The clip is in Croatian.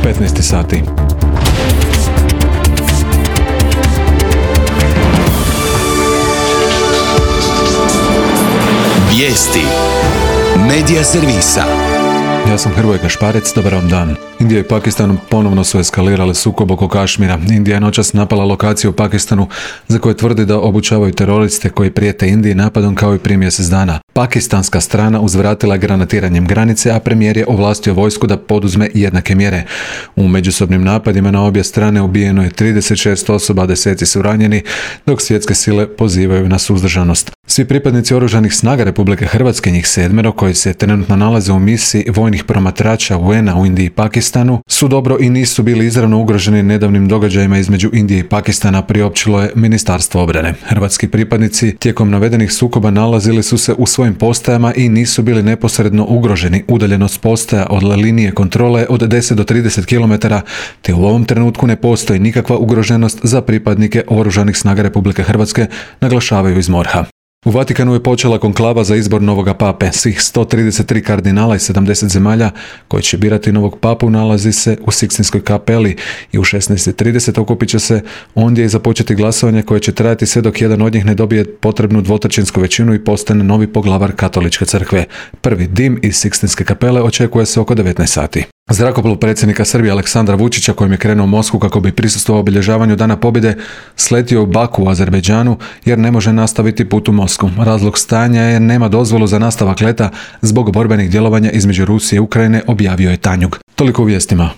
15 sati. Vijesti Medija servisa. Ja sam Hrvoje Kašparec, dobar vam dan. Indija i Pakistan ponovno su eskalirale sukob oko Kašmira. Indija je noćas napala lokaciju u Pakistanu za koje tvrdi da obučavaju teroriste koji prijete Indiji napadom kao i prije mjesec dana. Pakistanska strana uzvratila je granatiranjem granice, a premijer je ovlastio vojsku da poduzme jednake mjere. U međusobnim napadima na obje strane ubijeno je 36 osoba, a deseci su ranjeni, dok svjetske sile pozivaju na suzdržanost. Svi pripadnici oružanih snaga Republike Hrvatske, njih 7 koji se trenutno nalaze u misiji vojnih promatrača UN-a u Indiji i Pakistanu, su dobro i nisu bili izravno ugroženi nedavnim događajima između Indije i Pakistana, priopćilo je Ministarstvo obrane. Hrvatski pripadnici tijekom navedenih sukoba nalazili su se u svojim postajama i nisu bili neposredno ugroženi. Udaljenost postaja od linije kontrole od 10 do 30 km, te u ovom trenutku ne postoji nikakva ugroženost za pripadnike oružanih snaga Republike Hrvatske, naglašavaju iz MORH-a. U Vatikanu je počela konklava za izbor novoga pape. Svih 133 kardinala i 70 zemalja koji će birati novog papu nalazi se u Sikstinskoj kapeli i u 16:30 okupit će se ondje i započeti glasovanje koje će trajati sve dok jedan od njih ne dobije potrebnu dvotrećinsku većinu i postane novi poglavar Katoličke crkve. Prvi dim iz Sikstinske kapele očekuje se oko 19 sati. Zrakoplov predsjednika Srbije Aleksandra Vučića, kojim je krenuo u Moskvu kako bi prisustvovao obilježavanju Dana pobjede, sletio u Baku u Azerbejdžanu jer ne može nastaviti put u Moskvu. Razlog stanja je nema dozvolu za nastavak leta zbog borbenih djelovanja između Rusije i Ukrajine, objavio je Tanjug. Toliko u vijestima.